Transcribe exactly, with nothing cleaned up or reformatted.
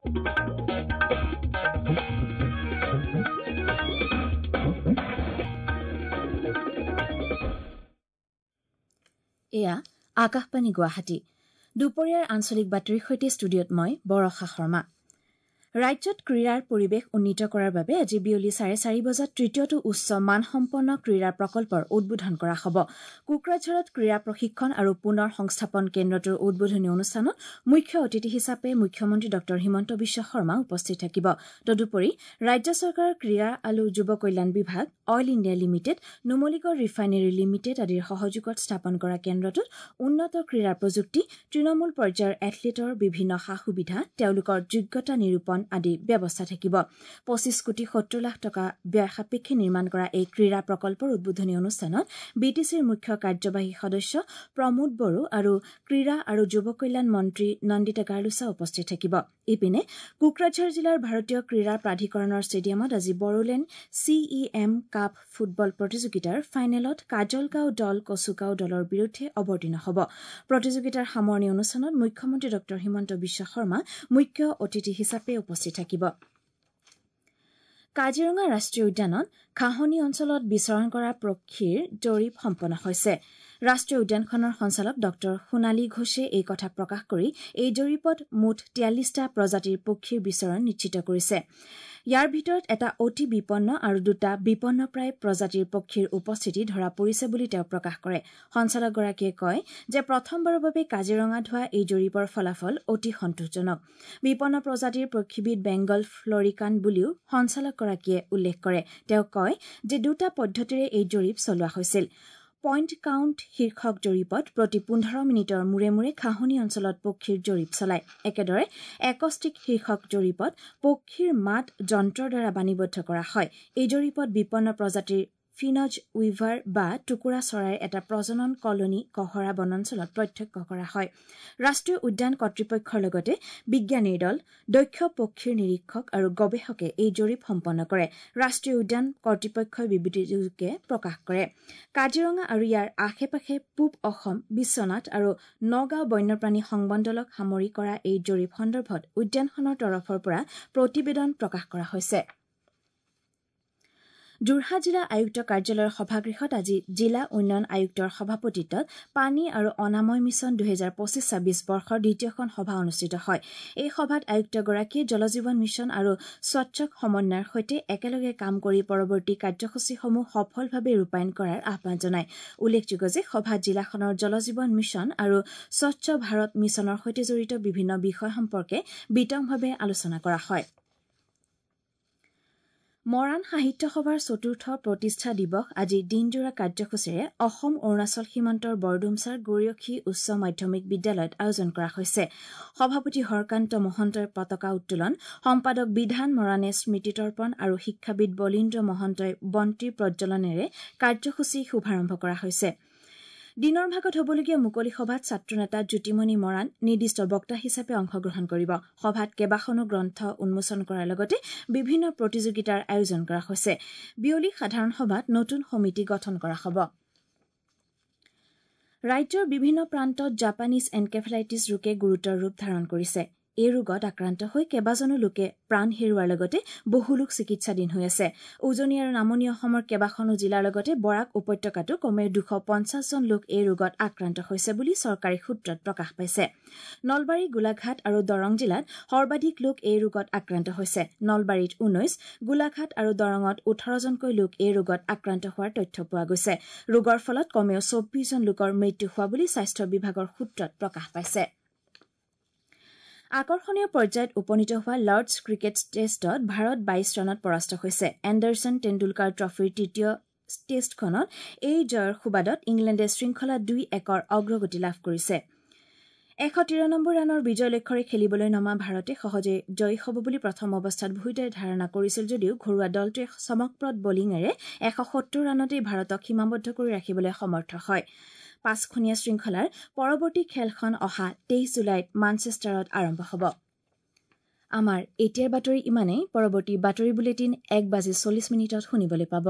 এয়া আকাশবাণী গুৱাহাটী। দুপৰীয়াৰ আঞ্চলিক বাতৰিৰ সৈতে ষ্টুডিঅ'ত মই বৰষা শৰ্মা। ৰাজ্যত ক্ৰীড়াৰ পৰিৱেশ উন্নীত কৰাৰ বাবে আজি বিয়লি চাৰে চাৰি বজাত তৃতীয়টো উচ্চ মানসম্পন্ন ক্ৰীড়া প্ৰকল্পৰ উদ্বোধন কৰা হ'ব। কোকৰাঝাৰত ক্ৰীড়া প্ৰশিক্ষণ আৰু পুনৰ সংস্থাপন কেন্দ্ৰটোৰ উদ্বোধনী অনুষ্ঠানত মুখ্য অতিথি হিচাপে মুখ্যমন্ত্ৰী ডঃ হিমন্ত বিশ্ব শৰ্মা উপস্থিত থাকিব। তদুপৰি ৰাজ্য চৰকাৰৰ ক্ৰীড়া আৰু যুৱ কল্যাণ বিভাগ, Oil India Limited, Numaligarh Refinery Limited আদিৰ সহযোগত স্থাপন কৰা কেন্দ্ৰটোত উন্নত ক্ৰীড়া প্ৰযুক্তি, তৃণমূল পৰ্যায়ৰ এথলীটৰ বিভিন্ন সা সুবিধা, তেওঁলোকৰ যোগ্যতা নিৰূপণ আদি ব্যৱস্থা থাকিব। পঁচিছ কোটি সত্তৰ লাখ টকা ব্যয় সাপেক্ষে নিৰ্মাণ কৰা এই ক্ৰীড়া প্ৰকল্পৰ উদ্বোধনী অনুষ্ঠানত বি টি চিৰ মুখ্য কাৰ্যবাহী সদস্য প্ৰমোদ বড়ো আৰু ক্ৰীড়া আৰু যুৱ কল্যাণ মন্ত্ৰী নন্দিতা গাৰ্লোচা উপস্থিত থাকিব। ইপিনে কোকৰাঝাৰ জিলাৰ ভাৰতীয় ক্ৰীড়া প্ৰাধিকৰণৰ ষ্টেডিয়ামত আজি Bodoland C E M cup football প্ৰতিযোগিতাৰ ফাইনেলত কাজলগাঁও দল কচুগাঁও দলৰ বিৰুদ্ধে অৱতীৰ্ণ হ'ব। প্ৰতিযোগিতাৰ সামৰণি অনুষ্ঠানত মুখ্যমন্ত্ৰী ডঃ হিমন্ত বিশ্ব শৰ্মা মুখ্য অতিথি হিচাপে উপস্থিত থাকিব। কাজিৰঙা ৰাষ্ট্ৰীয় উদ্যানত ঘাঁহনি অঞ্চলত বিচৰণ কৰা পক্ষীৰ জৰীপ সম্পন্ন হৈছে। ৰাষ্ট্ৰীয় উদ্যানখনৰ সঞ্চালক ডঃ সোণালী ঘোষে এই কথা প্ৰকাশ কৰি এই জৰীপত মুঠ তিয়াল্লিছটা প্ৰজাতিৰ পক্ষীৰ বিচৰণ নিশ্চিত কৰিছে। ইয়াৰ ভিতৰত এটা অতি বিপন্ন আৰু দুটা বিপন্নপ্ৰায় প্ৰজাতিৰ পক্ষীৰ উপস্থিতি ধৰা পৰিছে বুলি তেওঁ প্ৰকাশ কৰে। সঞ্চালকগৰাকীয়ে কয় যে প্ৰথমবাৰৰ বাবে কাজিৰঙাত হোৱা এই জৰীপৰ ফলাফল অতি সন্তোষজনক। বিপন্ন প্ৰজাতিৰ পক্ষীবিধ বেংগল ফ্লৰিকান বুলিও সঞ্চালকগৰাকীয়ে উল্লেখ কৰে। তেওঁ কয় যে দুটা পদ্ধতিৰে এই জৰীপ চলোৱা হৈছিল। পইণ্ট কাউণ্ট শীৰ্ষক জৰীপত প্ৰতি পোন্ধৰ মিনিটৰ মূৰে মূৰে ঘাঁহনি অঞ্চলত পক্ষীৰ জৰীপ চলায়। একেদৰে একষ্টিক শীৰ্ষক জৰীপত পক্ষীৰ মাত যন্ত্ৰৰ দ্বাৰা বাণীবদ্ধ কৰা হয়। এই জৰীপত বিপন্ন প্ৰজাতিৰ ফিনজ উইভাৰ বা টুকুৰা চৰাইৰ এটা প্ৰজনন কলনী কহৰা বনাঞ্চলত প্ৰত্যক্ষ কৰা হয়। ৰাষ্ট্ৰীয় উদ্যান কৰ্তৃপক্ষৰ লগতে বিজ্ঞানীৰ দল, দক্ষ পক্ষীৰ নিৰীক্ষক আৰু গৱেষকে এই জৰীপ সম্পন্ন কৰে। ৰাষ্ট্ৰীয় উদ্যান কৰ্তৃপক্ষই বিবৃতিযোগে প্ৰকাশ কৰে। কাজিৰঙা আৰু ইয়াৰ আশে পাশে পূব অসম, বিশ্বনাথ আৰু নগাঁও বন্যপ্ৰাণী সংমণ্ডলক সামৰি কৰা এই জৰীপ সন্দৰ্ভত উদ্যানখনৰ তৰফৰ পৰা প্ৰতিবেদন প্ৰকাশ কৰা হৈছে। যোৰহাট জিলা আয়ুক্ত কাৰ্যালয়ৰ সভাগৃহত আজি জিলা উন্নয়ন আয়ুক্তৰ সভাপতিত্বত পানী আৰু অনাময় মিছন দুহেজাৰ পঁচিছ ছাব্বিছ বৰ্ষৰ দ্বিতীয়খন সভা অনুষ্ঠিত হয়। এই সভাত আয়ুক্তগৰাকীয়ে জলজীৱন মিছন আৰু স্বচ্ছ সমন্বয়ৰ সৈতে একেলগে কাম কৰি পৰৱৰ্তী কাৰ্যসূচীসমূহ সফলভাৱে ৰূপায়ণ কৰাৰ আহ্বান জনায়। উল্লেখযোগ্য যে সভাত জিলাখনৰ জলজীৱন মিছন আৰু স্বচ্ছ ভাৰত মিছনৰ সৈতে জড়িত বিভিন্ন বিষয় সম্পৰ্কে বিতংভাৱে আলোচনা কৰা হয়। মৰাণ সাহিত্য সভাৰ চতুৰ্থ প্ৰতিষ্ঠা দিৱস আজি দিনজোৰা কাৰ্যসূচীৰে অসম অৰুণাচল সীমান্তৰ বৰডুমচাৰ গৰীয়সী উচ্চ মাধ্যমিক বিদ্যালয়ত আয়োজন কৰা হৈছে। সভাপতি হৰকান্ত মহন্তই পতাকা উত্তোলন, সম্পাদক বিধান মৰাণে স্মৃতি তৰ্পণ আৰু শিক্ষাবিদ বলীন্দ্ৰ মহন্তই বন্তি প্ৰজ্বলনেৰে কাৰ্যসূচী শুভাৰম্ভ কৰা হৈছে। দিনৰ ভাগত হ'বলগীয়া মুকলি সভাত ছাত্ৰনেতা জ্যোতিমণি মৰাণ নিৰ্দিষ্ট বক্তা হিচাপে অংশগ্ৰহণ কৰিব। সভাত কেইবাখনো গ্ৰন্থ উন্মোচন কৰাৰ লগতে বিভিন্ন প্ৰতিযোগিতাৰ আয়োজন কৰা হৈছে। বিয়লি সাধাৰণ সভাত নতুন সমিতি গঠন কৰা হ'ব। ৰাজ্যৰ বিভিন্ন প্ৰান্তত জাপানীজ এনকেফেলাইটিছ ৰোগে গুৰুতৰ ৰূপ ধাৰণ কৰিছে। এই ৰোগত আক্ৰান্ত হৈ কেইবাজনো লোকে প্ৰাণ হেৰুওৱাৰ লগতে বহু লোক চিকিৎসাধীন হৈ আছে। উজনি আৰু নামনি অসমৰ কেইবাখনো জিলাৰ লগতে বৰাক উপত্যকাতো কমেও দুশ পঞ্চাছজন লোক এই ৰোগত আক্ৰান্ত হৈছে বুলি চৰকাৰী সূত্ৰত প্ৰকাশ পাইছে। নলবাৰী, গোলাঘাট আৰু দৰং জিলাত সৰ্বাধিক লোক এই ৰোগত আক্ৰান্ত হৈছে। নলবাৰীত ঊনৈশ, গোলাঘাট আৰু দৰঙত ওঠৰজনকৈ লোক এই ৰোগত আক্ৰান্ত হোৱাৰ তথ্য পোৱা গৈছে। ৰোগৰ ফলত কমেও চৌব্বিছজন লোকৰ মৃত্যু হোৱা বুলি স্বাস্থ্য বিভাগৰ সূত্ৰত প্ৰকাশ পাইছে। আকৰ্ষণীয় পৰ্যায়ত উপনীত হোৱা লৰ্ডছ ক্ৰিকেট টেষ্টত ভাৰত বাইছ ৰানত পৰাস্ত হৈছে। এণ্ডাৰছন টেণ্ডুলকাৰ ট্ৰফীৰ তৃতীয় টেষ্টখনত এই জয়ৰ সুবাদত ইংলেণ্ডে শৃংখলা দুই একৰ অগ্ৰগতি লাভ কৰিছে। এশ তিৰানব্বৈ ৰানৰ বিজয় লক্ষ্যৰে খেলিবলৈ নমা ভাৰতে সহজে জয়ী হ'ব বুলি প্ৰথম অৱস্থাত ভূঁইতে ধাৰণা কৰিছিল যদিও ঘৰুৱা দলটোৱে চমকপ্ৰদ বলিঙেৰে এশ সত্তৰ ৰানতেই ভাৰতক সীমাবদ্ধ কৰি ৰাখিবলৈ সমৰ্থ হয়। পাঁচখনীয়া শৃংখলাৰ পৰৱৰ্তী খেলখন অহা তেইছ জুলাইত মানচেষ্টাৰত আৰম্ভ হ'ব। আমাৰ এতিয়াৰ বাতৰি ইমানেই। পৰৱৰ্তী বাতৰি বুলেটিন এক বাজি চল্লিছ মিনিটত শুনিবলৈ পাব।